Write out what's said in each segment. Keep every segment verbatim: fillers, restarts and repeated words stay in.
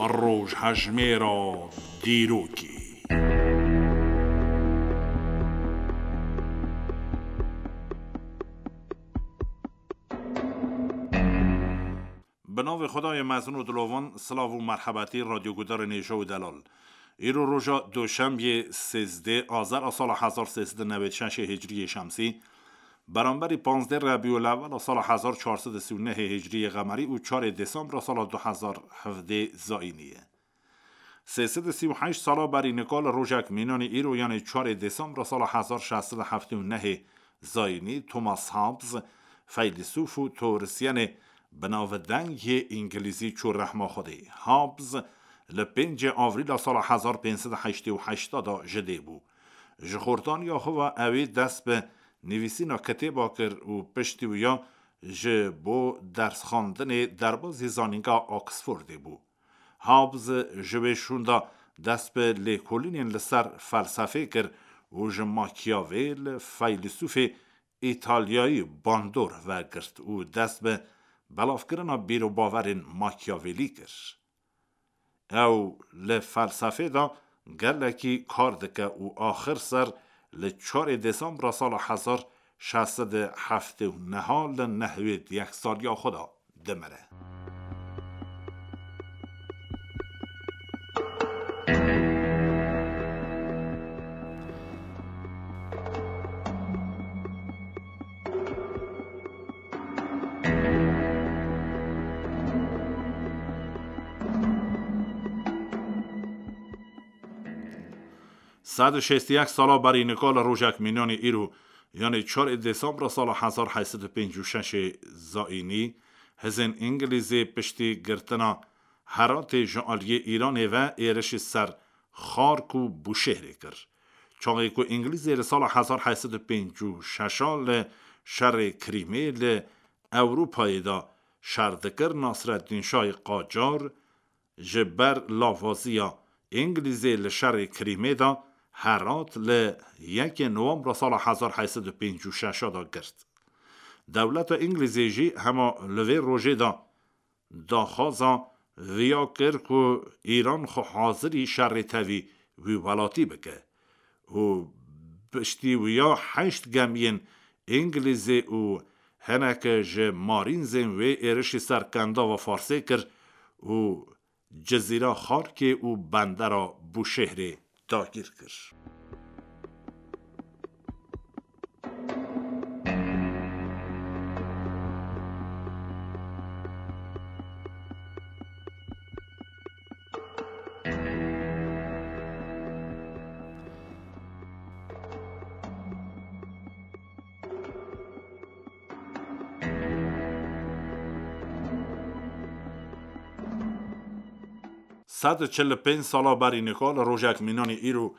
Rojhejmêra dîrokê. Bi navê Xwedayê mezin û dilovan, silav û merhebetî radyogudarên hêja û delal. Îro roja Doşembiyê sêzdeh Azar a sala hezar sê sed û newêd şeş Hicriyê Şemsî, beramberî panzdeh Rebîulewel a sala hezar çar sed û sî û neh Hicriyê Qemerî û çarê Desembra sala du hezar hevdeh Zayînî ye. Sê sed û sî û heşt sala berî nika li rojek mînanî îro, yanê çarê Desembra sala hezar şeş sed û heftê û neh Zayînî, Thomas Hobbes, feylesûf û teorisyenê binavdeng yê îngilîzî çû rehma Xwedê. Hobbes li pêncê Avrîla sala hezar pênc sed û heştê û heşt de ji dê bû. Ji xortaniya xwe ve ewî dest bi nivîsîna kitêba kir û piştî wiya ji bo dersxwendinê derbazî zanîngeha Oxfordê bû. Hobbes ji wê şûnda dest bi lêkolînên li ser felsefê kir û ji Machiavelli, feylesûfê Îtalyayî bandor vegirt û dest bi belavkirina bîr û bawerên Machiavelli kir. Ew li felsefê de gelekî kar dike û axir ser li çarê Desembra sala hezar şeş sed û heftê û neh li nehwêd yek saliya xwe de dimire. Sed û şêst û yek sala berî nika li rojek mînanî îro, yanê çarê Desembra sala hezar heyt sed û pêncî û şeş Zayînî, hizên Îngilîzê piştî girtina Heratê ji aliyê Îranê ve êrişî ser Xark û Bûşêhrê kir. Çaxê ku Îngilîzê li sala hezar heyt sed û pêncî û şeş li şerê Krîmê li Ewropayê de şer dikir, Nasreddîn Şahê Qacar ji ber lavaziya Îngilîzê li şerê Krîmê de Herat li yekê Nowembra sala hezar heyt sed û pêncî û şeş de girt. Dewleta Îngilîzê jî hema li vê rojê de daxwaza viya kir ku Îran xwe hazirî şerê tevî wî welatî bike û piştî wiya heşt gemiyên Îngilîzê û hineke ji marînzên wê êrişî ser Kendava Farsê kir û Cizîra Xarkê û bendera Bûşêhrê dagîr kir. Sed û çil û pênc sala berî nika li rojek mînanî îro,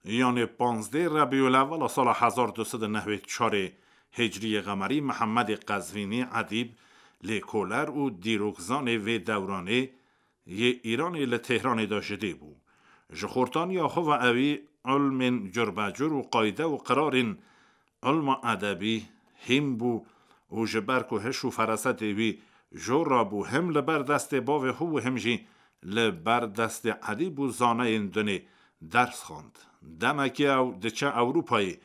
yanê panzdeh Rebîulewwel a sala hezar du sed û newêd çarê Hicriyê Qemerî, Mihemedê Qezvînî Edîb, lêkoler û dîrokzanê vê dewranê yê Îranê li Tehranê de ji dê bû. Ji xortaniya xwe ve ewî ilmên curbecur û qayde û qirarên ilma edebî hîm bû û ji ber ku hiş û ferasetê wî jor rabû, him li ber destê bavê xwe û him jî li ber destê edîb û zaneyên dinê ders xwend. Demekê ew diçe Ewropayê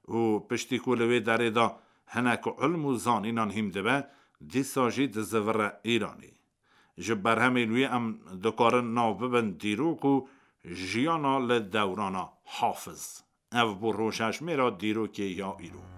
û piştî ku li wê derê de hinek ilm û zanînan hîm dibe, dîsa jî dizivire Îranê. Ji berhemên wî em dikarin nav bibin dîrok û jiyana li dewrana Hafiz. Ev bû rojhejmêra dîrokê ya îro.